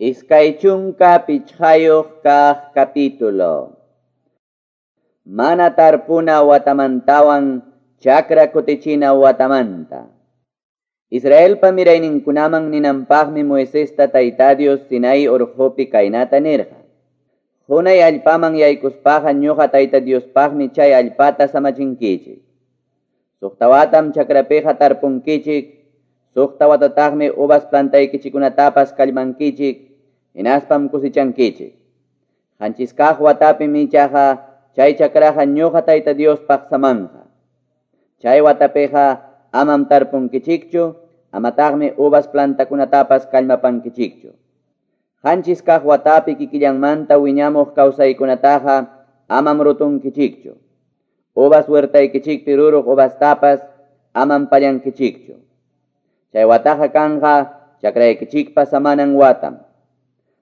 25 kaq capítulo. Mana tarpuna watamantawan chakra kutichina watamanta. Israelpa mirayninkunaman ninanpaqmi Moisesta Tayta Dios Sinai urqupi kaynata nirqa. Hunay allpaman yaykuspaqa ñuqa Tayta Diospaqmi chay allpata samachinkichik. Suqta watam chakrapiqa tarpunkichik, suqta watataqmi uvas plantaykichikunatapas kallmankichik, hinaspam kusichankichik. Qanchis kaq watapim ichaqa chay chakraqa ñuqa Tayta Diospaq samanqa. Chay watapiqa amam tarpunkichikchu, amataqmi uvas plantakunatapas kallmapankichikchu. Qanchis kaq watapi kikillanmanta wiñamuq kawsaykunataqa amam rutunkichikchu. Uvas huertaykichikpi ruruq uvastapas amam pallankichikchu. Chay wataqa kanqa chakraykichikpa samanan watam.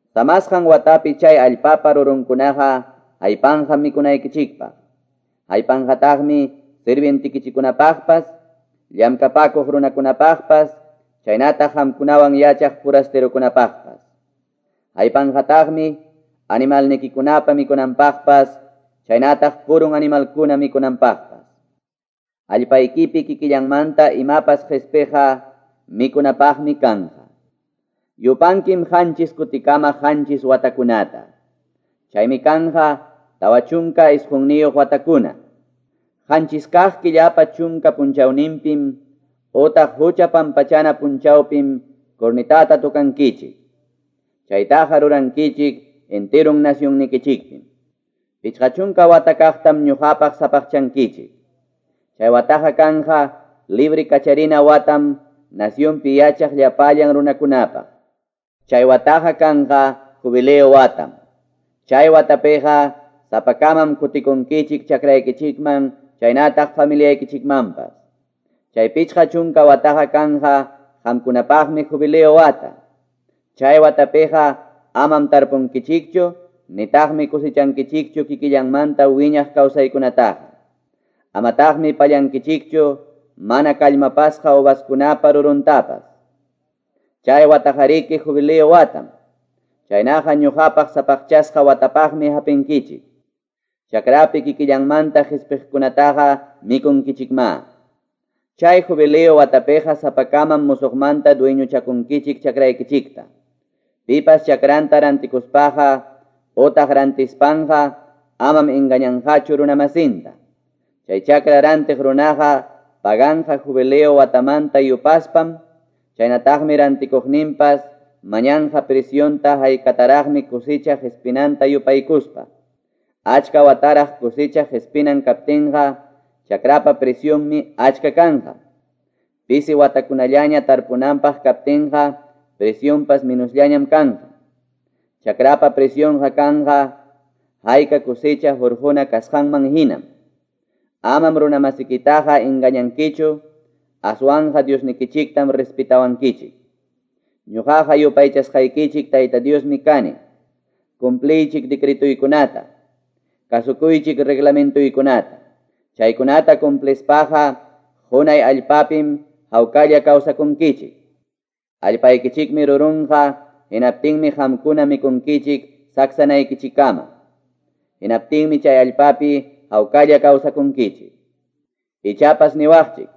Samasqan watapi chay allpapa rurunkunaqa haypanqa mikunaykichikpaq. Haypanqataqmi sirvientikichikunapaqpas, llamkapakuq runakunapaqpas, chaynataq qamkunawan yachaq forasterokunapaqpas. Haypanqataqmi animalnikikunapa mikunanpaqpas, chaynataq purun animalkuna mikunanpaqpas. Allpaykipi kikillanmanta imapas qhispiqa mikunapaqmi kanqa. Yupankim qanchis kutikama qanchis watakunata. Chaymi kanqa 49 watakuna. Qanchis kaq killapa chunka punchawninpim utaq hucha pampachana punchawpim cornetata tukankichik. Chaytaqa rurankichik enterun nacionnikichikpim. 50 wata kaqtam ñuqapaq sapaqchankichik. Chay wataqa kanqa libre kacharina watam nacionpi yachaq llapallan runakunapaq. Chay wataqa kanqa jubileo watam. Chay watapiqa sapakamam kutikunkichik chakraykichikman chaynataq familiaykichikmanpas. Chay 50 wataqa kanqa qamkunapaqmi jubileo wata. Chay watapiqa amam tarpunkichikchu nitaqmi kusichankichikchu kikillanmanta wiñaq kawsaykunataqa. Amataqmi pallankichikchu mana kallmapasqa uvaskunapa ruruntapas. Chay wataqariki jubileo watam. Chaynaqa ñuqapaq sapaqchasqa watapaqmi hapinkichik. Chakrapi kikillanmanta qhispiqkunataqa mikunkichikma. Chay jubileo watapiqa sapakamam musuqmanta dueñochakunkichik chakraykichikta. Pipas chakranta rantikuspaqa utaq rantispanqa amam engañanqachu runamasinta. Chay chakra rantiq runaqa paganqa jubileo watamanta yupaspam, chaynataqmi rantikuqninpas mañanqa presionta haykataraqmi kusicha qhispinanta yupaykuspa. Achka wataraq kusicha qhispinan kaptinqa chakrapa presionmi achka kanqa. Pisi watakunallaña tarpunanpaq kaptinqa presionpas minusllañam kanqa. Chakrapa presionqa kanqa hayka kusicha hurquna kasqanman hinam. Amam runamasikitaqa engañankichu, aswanqa Diosnikichiktam respetawankichik. Ñuqaqa yupaychasqaykichik Tayta Diosmi kani. Cumpliychik decretuykunata, kasukuychik reglamentuykunata. Chaykunata cumplispaqa hunay allpapim hawkalla kawsakunkichik. Allpaykichikmi rurunqa hinaptinmi qamkuna mikunkichik saksanaykichikkama. Hinaptinmi chay allpapi hawkalla kawsakunkichik. Ichapas niwaqchik,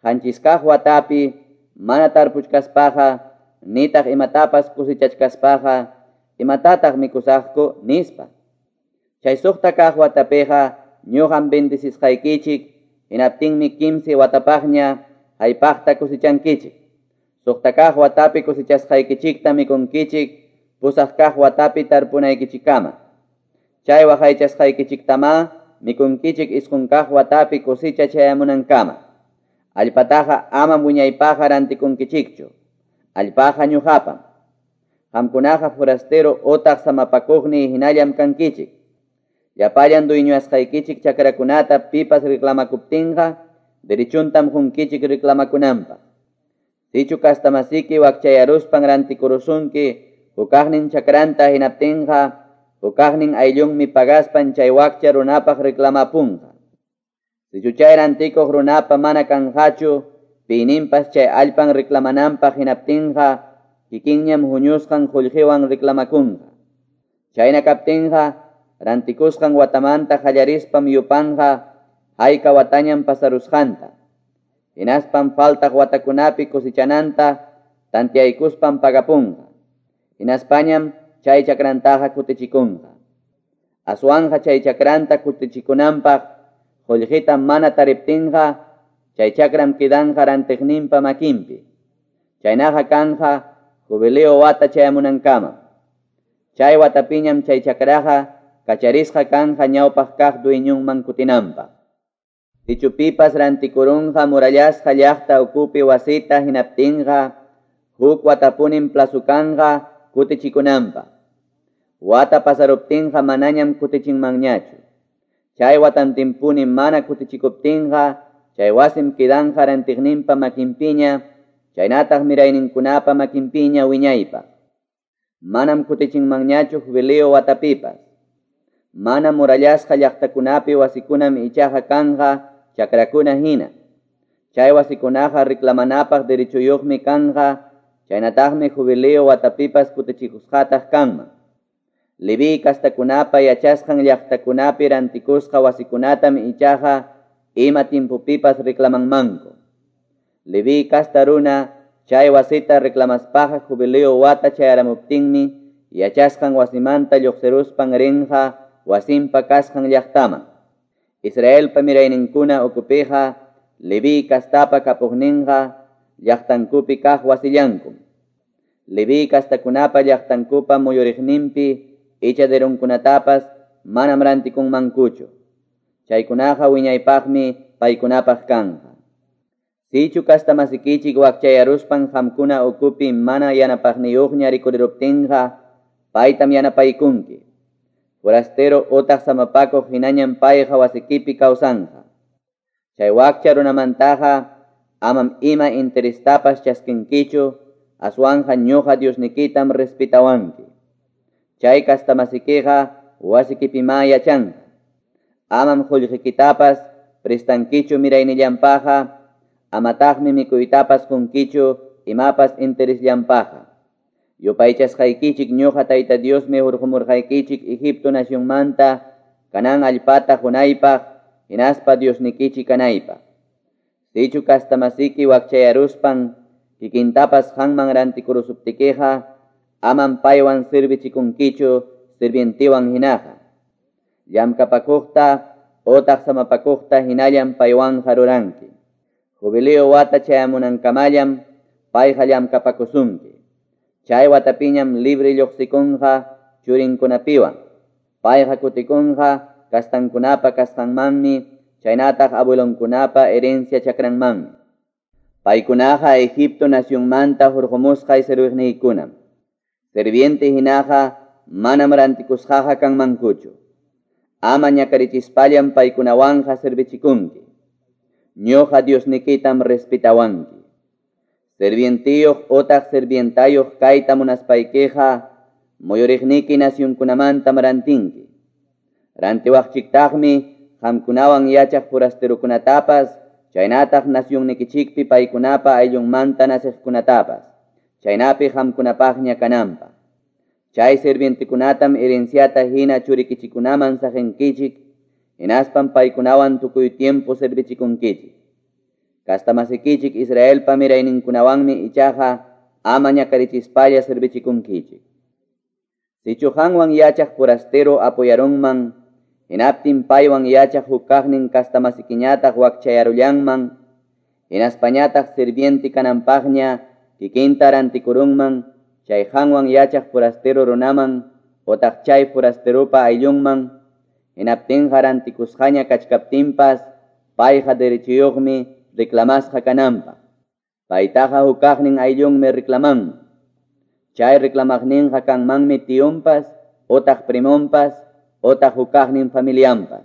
qanchis kaq watapi mana tarpuchkaspaqa nitaq imatapas kusichachkaspaqa imatataq mikusaqku nispa. Chay suqta kaq watapiqa ñuqam bendecisqaykichik, hinaptinmi 15 watapaqña haypaqta kusichankichik. Suqta kaq watapi kusichasqaykichikta mikunkichik 8 kaq watapi tarpunaykichikkama. Chay waqaychasqaykichiktama mikunkichik 9 kaq watapi kusicha chayamunankama. Allpataqa amam wiñaypaqqa rantikunkichikchu. Allpaqa ñuqapam. Qamkunaqa forastero utaq samapakuqni hinallam kankichik. Llapallan dueñoasqaykichik chakrakunata pipas reclamakuptinqa derechuntam qunkichik reclamakunanpaq. Sichu kastamasiki wakchayaruspan rantikurusunki hukaqnin chakranta hinaptinqa hukaqnin ayllunmi pagaspan chay wakcha runapaq reclamapunqa. Sichu chay rantikuq runapa mana kanqachu piyninpas chay allpan reclamananpaq hinaptinqa kikinñam huñusqan qullqiwan reclamakunqa. Chayna kaptinqa, rantikusqan watamanta qallarispam yupanqa hayka watañam pasarusqanta. Hinaspam faltaq watakunapi cosechananta tantiaykuspam pagapunqa. Hinaspañam chay chakrantaqa kutichikunqa. Aswanja chay chakranta kutichikunanpaq qullqita mana tariptinqa, chay chakram kidanqa rantiqninpa makinpi. Chaynaqa kanja jubileo wata chayamunankama. Chay watapiñam chay chakraqa kacharisqa kanja ñawpaq kaq dueñunman kutinanpaq. Sichu pipas rantikurunqa murallasqa llaqta ukupi wasita hinaptinqa, huk watapunim plazo kanqa kutichikunanpaq. Wata pasaruptinqa manañam kutichinmanñachu. Chay watantinpuni mana kutichikuptinqa, chay wasim kidanqa rantiqninpa makinpiña, chaynataq mirayninkunapa makinpiña wiñaypaq. Manam kutichinmanñachu jubileo watapipas. Mana murallasqa llaqtakunapi wasikunam ichaqa kanja chakrakuna hina. Chay wasikunaqa reclamanapaq derechuyuqmi kanja, chaynataqmi jubileo watapipas kutichikusqataq kanman. Leví kastakunapa yachasqan llaqtakunapi rantikusqa wasikunatam ichaqa ima timpupipas reclamanmanku. Leví kasta runa chay wasita reclamaspaqa jubileo wata chayaramuptinmi yachasqan wasimanta lluqsiruspan rinqa wasinpa kasqan llaqtaman. Israelpa mirayninkuna ukupiqa Leví kastapa kapuqninqa llaqtankupi kaq wasillankum. Leví kastakunapa llaqtankupa muyuriqninpi ichaderunkunatapas manam rantikunmankuchu. Chaykunaqa wiñaypaqmi paykunapaq kanja. Sichu kastamasikichik wakchayaruspan qamkuna ukupi mana yanapaqniyuqña rikuriruptinqa, paytam yanapaykunki. Forastero otaq samapakuq hinañam payqa wasikipi kawsanja. Chay wakcha runamantaqa amam ima interestapas chaskinkichu, aswanja ñuqa Diosnikitam respetawanki. Chay kastamasikiqa wasikipimá yachanqa. Amam qullqikitapas prestankichu miraynillanpaqa, amataqmi mikuytapas qunkichu imapas interesllanpaqa. Yupaychasqaykichik ñuqa Tayta Diosmi hurqumurqaykichik Egipto nacionmanta Canaán allpata qunaypaq, hinaspa Diosnikichik kanaypaq. Sichu kastamasiki wakchayaruspan kikintapas qanman rantikurusuptikiqa, amam paywan sirvichikunkichu sirvientiwan hinaqa. Llamkapakuqta otaq samapakuqta hinallam paywanqa ruranki. Jubileo wata chayamunankamallam payqa llamkapakusunki. Chay watapiñam libre lluqsikunqa churinkunapiwan. Payqa kutikunqa kastankunapa kasqanmanmi, chaynataq abuelonkunapa herencia chakranmanmi. Paykunaqa Egipto nacionmanta hurqumusqay serviqniykunam. Serviente hinaqa manam rantikusqaqa kanmankuchu. Ama ñakarichispallam paykunawanqa servichikunki. Ñuqa Diosnikitam respetawanki. Servientiyuq otaq servientayuq kayta munaspaykiqa muyuriqniki nacionkunamantam rantinki. Rantiwaqchiktaqmi qamkunawan yachaq forasterokunatapas, chaynataq nacionnikichikpi paykunapa ayllunmanta naciqkunatapas, chaynapi qamkunapaqña kananpaq. Chay servientekunatam herenciata hina churikichikunaman saqinkichik, hinaspam paykunawan tukuy tiempo servichikunkichik. Kastamasikichik Israelpa mirayninkunawanmi ichaqa ama ñakarichispalla servichikunkichik. Sichu qanwan yachaq forastero apoyarunman, hinaptin paywan yachaq huk kaqnin kastamasikiñataq wakchayarullanman, hinaspañataq sirviente kananpaqña kikinta rantikurunman, chay qanwan yachaq forastero runaman, otaq chay forasteropa ayllunman, hinaptinqa rantikusqaña kachkaptinpas, payqa derechuyuqmi reclamasqa kananpaq. Paytaqa huk kaqnin ayllunmi reclamanman. Chay reclamaqninqa kanmanmi tiyunpas, otaq primonpas, otaq huk kaqnin familianpas.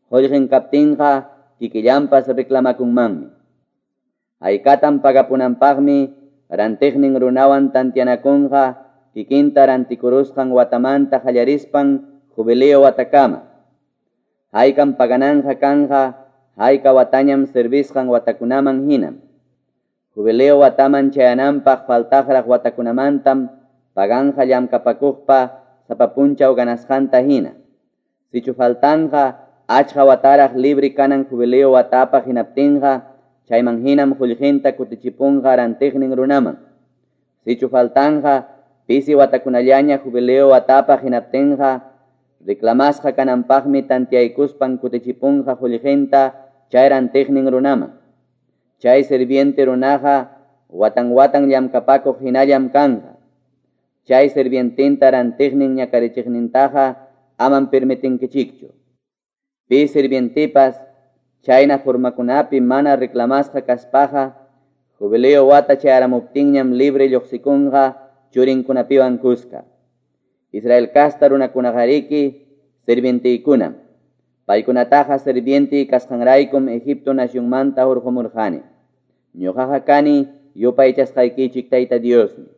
Qullqin kaptinqa kikillanpas reclamakunmanmi. Haykatam pagapunanpaqmi rantiqnin runawan tantianakunqa kikinta rantikurusqan watamanta qallarispan jubileo watakama. Haykam pagananja kanja hayka watañam servisqan watakunaman hinam. Jubileo wataman chayananpaq faltaqraq watakunamantam paganqa llamkapakuqpa sapa punchaw ganasqanta hina. Sichu faltanqa achka wataraq libre kanan jubileo watapaq hinaptinqa, chayman hinam qullqinta kutichipunqa rantiqnin runaman. Sichu faltanqa pisi watakunallaña jubileo watapaq hinaptinqa, reclamasqa kananpaqmi tantiaykuspan kutichipunqa qullqinta chay rantiqnin runaman. Chay sirviente runaqa watan watan llamkapakuq hinallam kanqa. Chay sirviententa rantiqnin ñakarichiqnintaqa amam permitinkichikchu. Pi sirvientepas chayna formakunapi mana reclamasqa kaspaqa, jubileo wata chayaramuptinñam libre lluqsikunqa churinkunapiwan kuska. Israel casta runakunaqariki sirvienteykunam. Paykunataqa sirviente kasqanraykum Egipto nacionmanta hurqumurqani. Ñuqaqa kani yupaychasqaykichik Tayta Diosmi.